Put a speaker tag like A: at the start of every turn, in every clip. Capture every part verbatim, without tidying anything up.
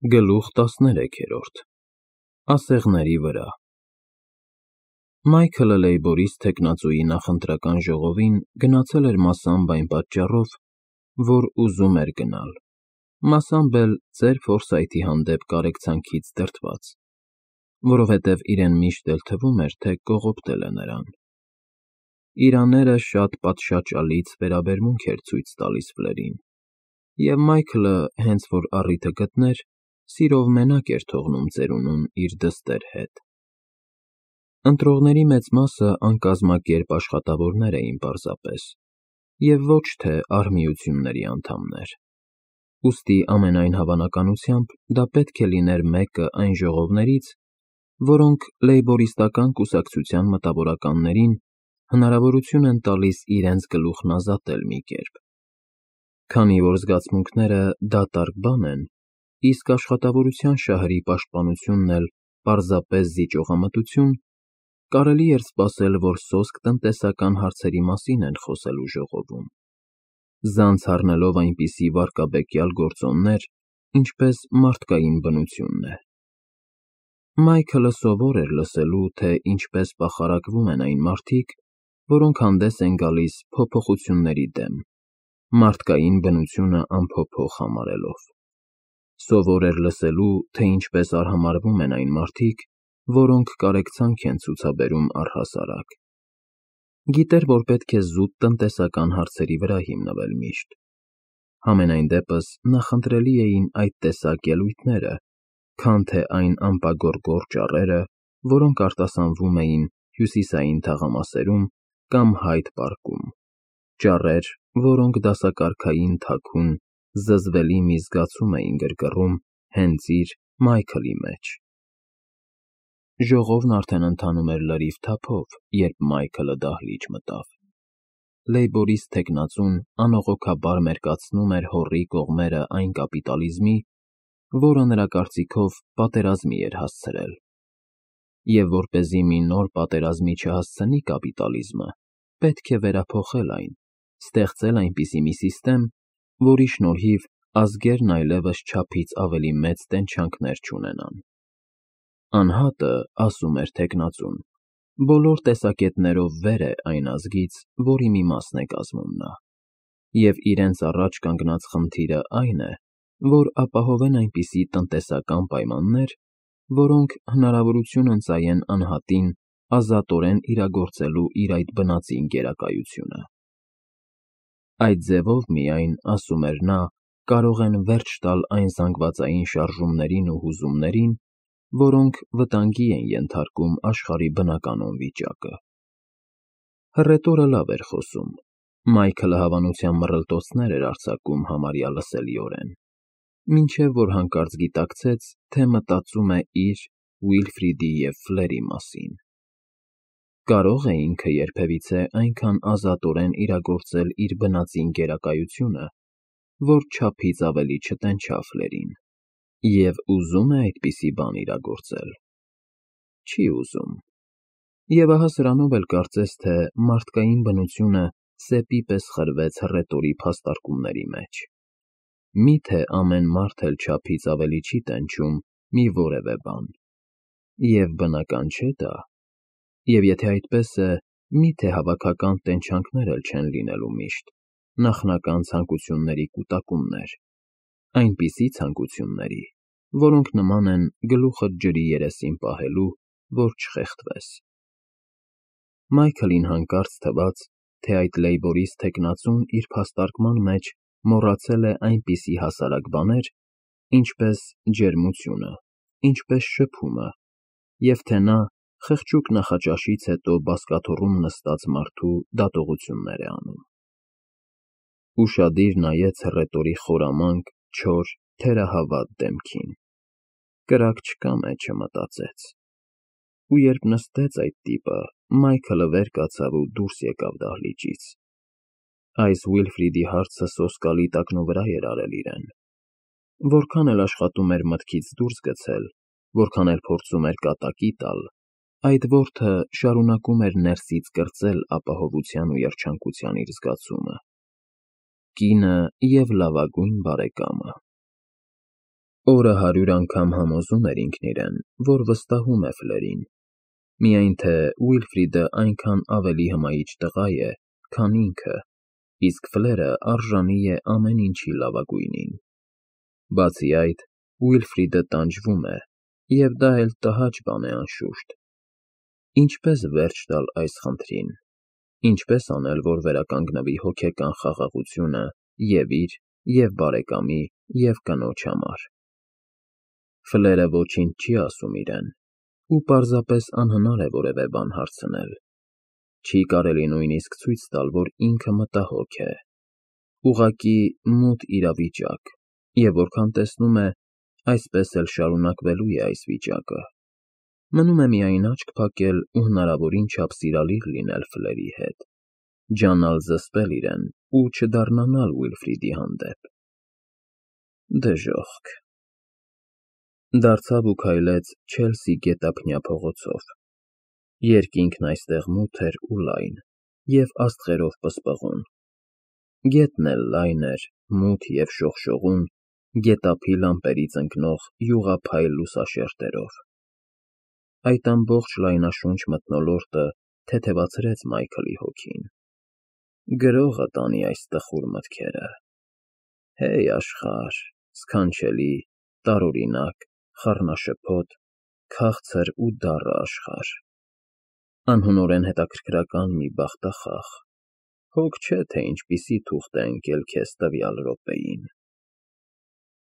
A: Գլուխ տասներեքերորդ Ասեղների վրա Մայքլը Լեյբորիս թեկնածուի նախընտրական ժողովին գնացել էր մասամբ այն պատճառով, որ ուզում էր գնալ, մասամբ էլ ծեր Ֆորսայթի հանդեպ կարեկցանքից դրդված, որովհետև իրեն միշտ էլ թվում էր, թե կողոպտել է նրան։ Իր աները շատ պատշաճալից վերաբերմունք էր ցույց տալիս Ֆլերին, և Մայքլը, հենց որ առիթը գտներ, սիրով մենակ էր թողնում ծերունուն իր դստեր հետ։ Ընտրողների մեծ մասը անկազմակերպ աշխատավորներ էին պարզապես, և ոչ թե արհմիությունների անդամներ, ուստի ամենայն հավանականությամբ դա պետք է լիներ մեկը այն ժողովներից, որոնք լեյբորիստական կուսակցության մտավորականներին հնարավորություն են տալիս իրենց գլուխն ազատել մի կերպ։ Քանի որ զգացմունքները դատարկ բան են, իսկ աշխատավորության շահերի պաշտպանությունն էլ պարզապես զիջողամտություն, կարելի էր սպասել, որ սոսկ տնտեսական հարցերի մասին են խոսելու ժողովում, ձանց առնելով այնպիսի վարկաբեկյալ գործոններ, ինչպես մարդկային բնությունն է։ Մայքլը սովոր էր լսելու, թե ինչպես պախարակվում են այն մարդիկ, որոնք հանդես են գալիս փոփոխությունների դեմ, մարդկային բնությունը անփոփոխ համարելով։ Սովոր էր լսելու, թե ինչպես արհամարհվում են այն մարդիկ, որոնք կարեկցանք են ցուցաբերում առհասարակ։ Գիտեր, որ պետք է զուտ տնտեսական հարցերի վրա հիմնվել միշտ։ Համենայն դեպս նախընտրելի էին այդ տեսակ ելույթները, քան թե այն ամպագորգոր ճառերը, որոնք արտասանվում էին հյուսիսային թաղամասերում կամ Հայդ պարկում, ճառեր, որոնք դասակարգային թաքուն, զզվելի մի զգացում էին գրգռում հենց իր՝ Մայքլի մեջ։ Ժողովն արդեն ընթանում էր լրիվ թափով, երբ Մայքլը դահլիճ մտավ։ Լեյբորիստ թեկնածուն անողոքաբար մերկացնում էր հոռի կողմերը այն կապիտալիզմի, որը նրա կարծիքով պատերազմի էր հասցրել։ Եվ որպեսզի մի նոր պատերազմի չհասցնի կապիտալիզմը, պետք է վերափոխել այն, ստեղծել այնպիսի մի սիստեմ, որի շնորհիվ ազգերն այլևս չափից ավելի մեծ տենչանքներ չունենան։ Անհատը, ասում էր թեկնածուն, բոլոր տեսակետներով վեր է այն ազգից, որի մի մասն է կազմում նա, և իրենց առաջ կանգնած խնդիրը այն է, որ ապահովեն այնպիսի տնտեսական պայմաններ, որոնք հնարավորություն ընծայեն անհատին ազատորեն իրագործելու իր այդ բնածին գերակայությունը։ Այդ ձևով միայն, ասում էր նա, կարող են վերջ տալ այն զանգվածային շարժումներին ու հուզումներին, որոնք վտանգի են ենթարկում աշխարհի բնականոն վիճակը։ Հռետորը լավ էր խոսում, Մայքլը հավանության մռլտոցներ էր արձակում համարյա լսելիորեն, մինչև որ հանկարծ գիտակցեց, թե մտածում է իր, Ուիլֆրիդի և Ֆլերի մասին։ Կարո՞ղ է ինքը երբևիցե այնքան ազատորեն իրագործել իր բնածին գերակայությունը, որ չափից ավելի չտենչա Ֆլերին, և ուզո՞ւմ է այդպիսի բան իրագործել։ Չի ուզում։ Եվ ահա սրանով էլ կարծես թե մարդկային բնությունը սեպի պես խրվեց հռետորի փաստարկումների մեջ։ Մի՞թե ամեն մարդ էլ չափից ավելի չի տենչում մի որևէ բան։ Եվ բնական չէ՞ դա։ Եվ եթե այդպես է, մի՞թե հավաքական տենչանքներ էլ չեն լինելու միշտ, նախնական ցանկությունների կուտակումներ, այնպիսի ցանկությունների, որոնք նման են գլուխդ ջրի երեսին պահելու, որ չխեղդվես։ Մայքլին հանկարծ թվաց, թե այդ լեյբորիստ թեկնածուն իր փաստարկման մեջ մոռացել է այնպիսի հասարակ բաներ, ինչպես ջերմությունը, ինչպես շփումը, և թե նա խղճուկ նախաճաշից հետո բազկաթոռում նստած մարդու դատողություններ է անում։ Ուշադիր նայեց հռետորի խորամանկ, չոր, թերահավատ դեմքին։ Կրակ չկա մեջը, մտածեց։ Ու երբ նստեց այդ տիպը, Մայքլը վեր կացավ ու դուրս եկավ դահլիճից։ Այս Ուիլֆրիդի հարցը սոսկալի տակնուվրա էր արել իրեն։ Որքան էլ աշխատում էր մտքից դուրս գցել, որքան էլ փորձում էր կատակի տալ, այդ որդը շարունակում էր ներսից կրծել ապահովության ու երջանկության իր զգացումը։ Կինը և լավագույն բարեկամը։ Օրը հարյուր անգամ համոզում էր ինքն իրեն, որ վստահում է Ֆլերին, միայն թե Ուիլֆրիդը այնքան ավելի հմայիչ տղա է, քան ինքը, իսկ Ֆլերը արժանի է ամեն ինչի լավագույնին։ Բացի այդ, Ուիլֆրիդը տանջվում է, և դա էլ տհաճ բան է անշուշտ։ Ինչպե՞ս վերջ տալ այս խնդրին, ինչպե՞ս անել, որ վերականգնվի հոգեկան խաղաղությունը և՛ իր, և՛ բարեկամի, և՛ կնոջ համար։ Ֆլերը ոչինչ չի ասում իրեն, ու պարզապես անհնար է որևէ բան հարցնել։ Չի կարելի նույնիսկ ցույց տալ, որ ինքը մտահոգ է։ Ուղղակի մութ իրավիճակ, և որքան տեսնում է, այսպես էլ շարունակվելու է այս վիճակը։ Մնում է միայն աչք փակել ու հնարավորին չափ սիրալիր լինել Ֆլերի հետ, ջանալ զսպել իրեն ու չդառնալ Ուիլֆրիդի հանդեպ։ Դժոխք։ Դարձավ ու քայլեց Չելսի գետափնյա փողոցով։ Երկինքն այստեղ մութ էր ու լայն և աստղերով պսպղուն։ Գետն էլ լայն էր, մութ և շողշողուն գետափի լամպերից ընկնող յուղափայլ լուսաշերտերով։ Այդ ամբողջ լայնաշունչ մթնոլորտը թեթևացրեց Մայքլի հոգին։ Գրողը տանի այս տխուր մտքերը։ Հեյ աշխարհ, սքանչելի, տարօրինակ, խառնաշփոթ, քաղցր ու դառը աշխարհ, անհունորեն հետաքրքրական մի բախտախաղ, հոգ չէ, թե ինչպիսի թուղթ է ընկել քեզ տվյալ րոպեին։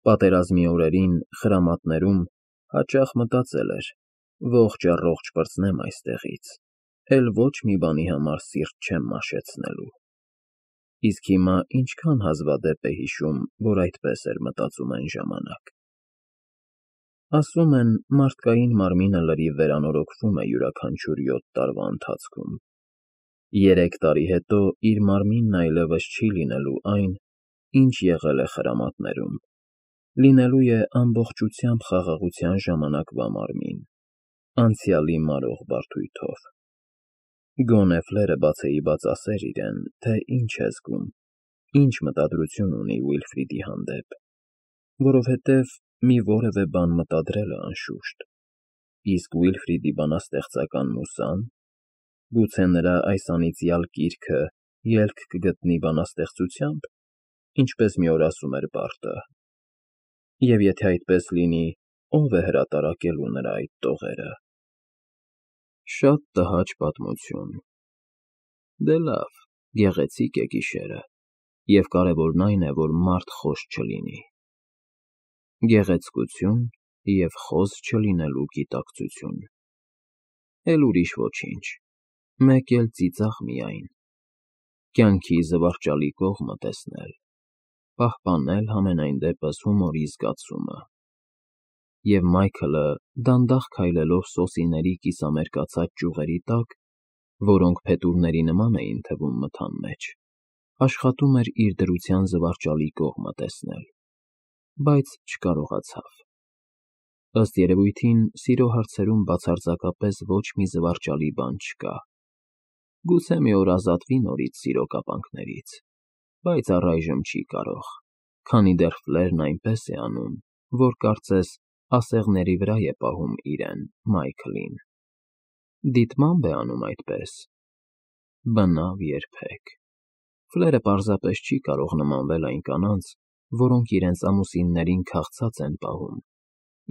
A: Պատերազմի օրերին խրամատներում հաճախ մտածել էր. ողջ առ ողջ պրծնեմ այստեղից, էլ ոչ մի բանի համար սիրտ չեմ մաշեցնելու։ Իսկ հիմա ինչքան հազվադեպ է հիշում, որ այդպես էր մտածում այն ժամանակ։ Ասում են, մարդկային մարմինը լրիվ վերանորոգվում է յուրաքանչյուր յոթ տարվա ընթացքում։ Երեք տարի հետո իր մարմինն այլևս չի լինելու այն, ինչ եղել է խրամատներում, լինելու է ամբողջությամբ խաղաղության ժամանակվա մարմին, անցյալի մարող բարդույթով։ Գոնե Ֆլերը բացեիբաց ասեր իրեն, թե ինչ է զգում, ինչ մտադրություն ունի Ուիլֆրիդի հանդեպ, որովհետև մի որևէ բան մտադրել է անշուշտ, իսկ Ուիլֆրիդի բանաստեղծական մուսա՞ն, գուցե նրա այս անիծյալ կիրքը ելք կգտնի բանաստեղծությամբ, ինչպես մի օր ասում էր Բարդը, և եթե այդպես լինի, ո՞վ է հրատարակելու նրա այդ տողերը։ Շատ տհաճ պատմություն։ Դե լավ, գեղեցիկ է գիշերը, և կարևորն այն է, որ մարդ խոզ չլինի։ Գեղեցկություն և խոզ չլինելու գիտակցություն։ Էլ ուրիշ ոչինչ, մեկ էլ ծիծաղ միայն, կյանքի զվարճալի կողմը տեսնել, պահպանել համենայն դեպս հումորի զգացումը։ Եվ Մայքլը, դանդաղ քայլելով սոսիների կիսամերկացած ճյուղերի տակ, որոնք փետուրների նման էին թվում մթան մեջ, աշխատում էր իր դրության զվարճալի կողմը տեսնել, բայց չկարողացավ։ Ըստ երևույթին, սիրո հարցերում բացարձակապես ոչ մի զվարճալի բան չկա։ Գուցե մի օր ազատվի նորից սիրո կապանքներից, բայց առայժմ չի կարող, քանի դեռ Ֆլերն այնպես է անում, որ կարծես ասեղների վրա է պահում իրեն՝ Մայքլին։ Դիտմամբ է անում այդպես։ Բնավ երբեք։ Ֆլերը պարզապես չի կարող նմանվել այն կանանց, որոնք իրենց ամուսիններին քաղցած են պահում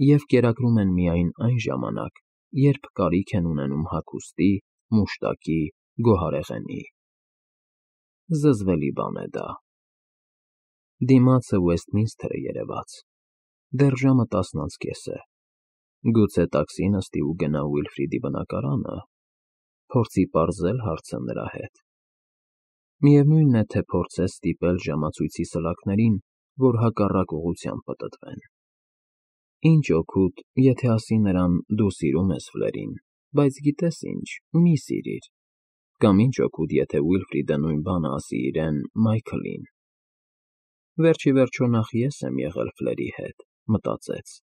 A: և կերակրում են միայն այն ժամանակ, երբ կարիք են ունենում հագուստի, մուշտակի, գոհարեղենի։ Զզվելի բան է դա։ Դիմացը Ուեսթմինսթր է երևաց։ Դեռ ժամը տասն անց կես է։ Գուցե տաքսի նստի ու գնա Ուիլֆրիդի բնակարանը, փորձի պարզել հարցը նրա հետ։ Միևնույն է, թե փորձեց ստիպել ժամացույցի սլաքներին, որ հակառակ ուղղությամբ պտտվեն։ Ինչ օգուտ, եթե ասի նրան՝ դու սիրում ես Ֆլերին, բայց գիտես ինչ, մի սիրիր, կամ ինչ օգուտ, եթե Ուիլֆրիդը նույն բանը ասի իրեն՝ Մայքլին։ Վերջիվերջո նախ ես եմ եղել Ֆլերի հետ, մտածեց։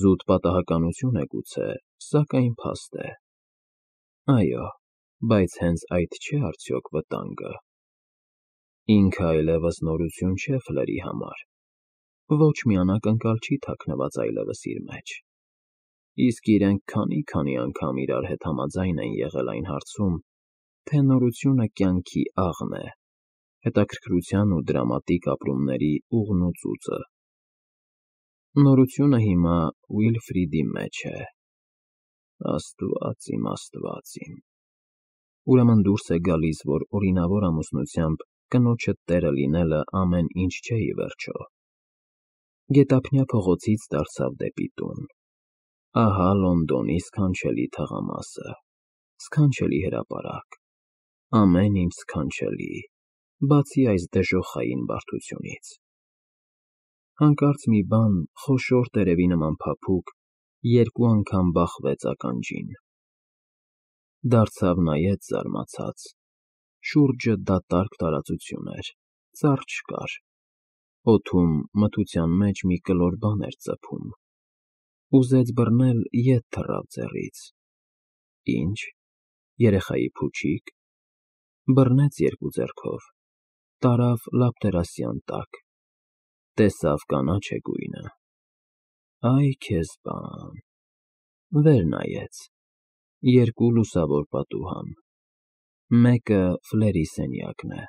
A: Զուտ պատահականություն է գուցե, սակայն փաստ է։ Այո, բայց հենց այդ չէ՞ արդյոք վտանգը։ Ինքը այլևս նորություն չէ Ֆլերի համար։ ոչ մի անակնկալ չի թաքնված այլևս իր մեջ, իսկ իրենք քանի֊քանի անգամ իրար հետ համաձայն են եղել այն հարցում, թե նորությունը կյանքի աղն է, հետաքրքրության ու դրամատիկ ապրումների ուղն ու ծուծը։ Նորությունը հիմա Ուիլֆրիդի մեջ է։ Աստված իմ, Աստված իմ։ Ուրեմն դուրս է գալիս, որ օրինավոր ամուսնությամբ կնոջը տերը լինելը ամեն ինչ չէ ի վերջո։ Գետափնյա փողոցից դարձավ դեպի տուն։ Ահա Լոնդոնի սքանչելի թղամասը, սքանչելի հրապարակ, ամեն ինչ սքանչելի, բացի այս դժոխային բարդությունից։ Հանկարծ մի բան խոշոր տերևի նման փափուկ երկու անգամ բախվեց ականջին։ Դարձավ նայեց զարմացած, շուրջը դատարկ տարածություն էր, ծառ չկար, օդում մթության մեջ մի կլոր բան էր ծփում, ուզեց բռնել, ետ թռավ ձեռից։ Ի՞նչ, երեխայի փուչի՞կ։ Բռնեց երկու ձեռքով, տարավ լապտերասյան տակ, տեսավ կանաչ է գույնը։ Այ քեզ բան։ Վեր նայեց, երկու լուսավոր պատուհան, մեկը Ֆլերի սենյակն է։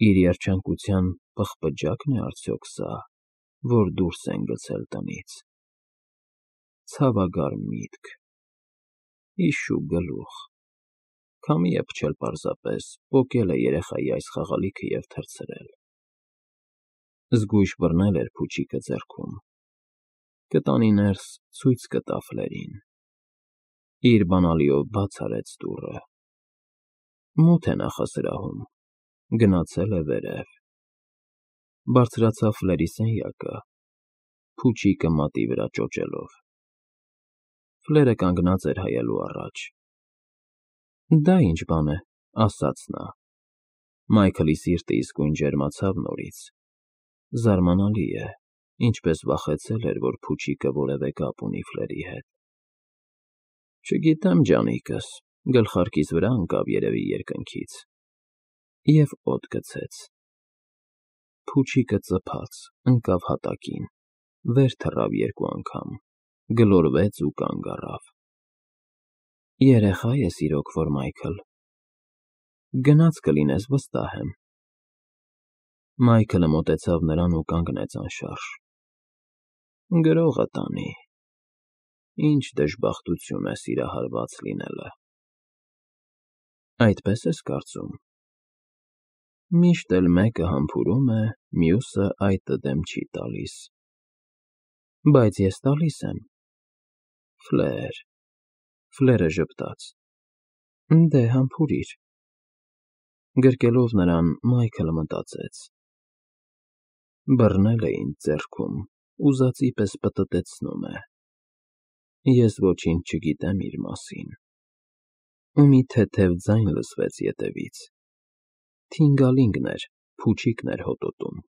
A: Իր երջանկության պղպջա՞կն է արդյոք սա, որ դուրս են գցել տնից։ Ցավագար միտք, իշու գլուխ, քամի է փչել պարզապես, պոկել է երեխայի այս խաղալիքը և թռցրել։ Զգույշ բռնել էր փուչիկը ձեռքում, կտանի ներս ցույց կտա Ֆլերին։ Իր բանալիով բաց արեց դուռը։ Մութ է նախասրահում, գնացել է վերև։ Բարձրացավ Ֆլերի սենյակը, փուչիկը մատի վրա ճոճելով։ Ֆլերը կանգնած էր հայելու առաջ։ Դա ի՞նչ բան է, ասաց նա։ Մայքլի սիրտը իսկույն ջերմացավ նորից։ Զարմանալի է, ինչպես վախեցել էր, որ փուչիկը որևէ կապ ունի Ֆլերի հետ։ Չգիտեմ, ջանիկս, գլխարկիս վրա ընկավ երևի երկնքից, և օդ գցեց։ Փուչիկը ծփաց, ընկավ հատակին, վեր թռավ երկու անգամ, գլորվեց ու կանգ առավ։ Երեխա ես իրոք որ, Մայքլ։ Գնաց կլինես, վստահ եմ։ Մայքլը մոտեցավ նրան ու կանգնեց անշարժ։ Գրողը տանի։ Ինչ դժբախտություն է սիրահարված լինելը։ Այդպես ես կարծում։ Միշտ էլ մեկը համբուրում է, մյուսը այտը դեմ չի տալիս։ Բայց ես տալիս եմ։ Ֆլեր… Ֆլերը ժպտաց։ Դե, համբուրիր։ Գրկելով նրան, Մայքլը մտածեց. բռնել է ինձ ձեռքում, ուզածի պես պտտեցնում է։ Ես ոչինչ չգիտեմ իր մասին։ Ու մի թեթև ձայն լսվեց ետևից։ Թինգալինգն էր, փուչիկն էր հոտոտում։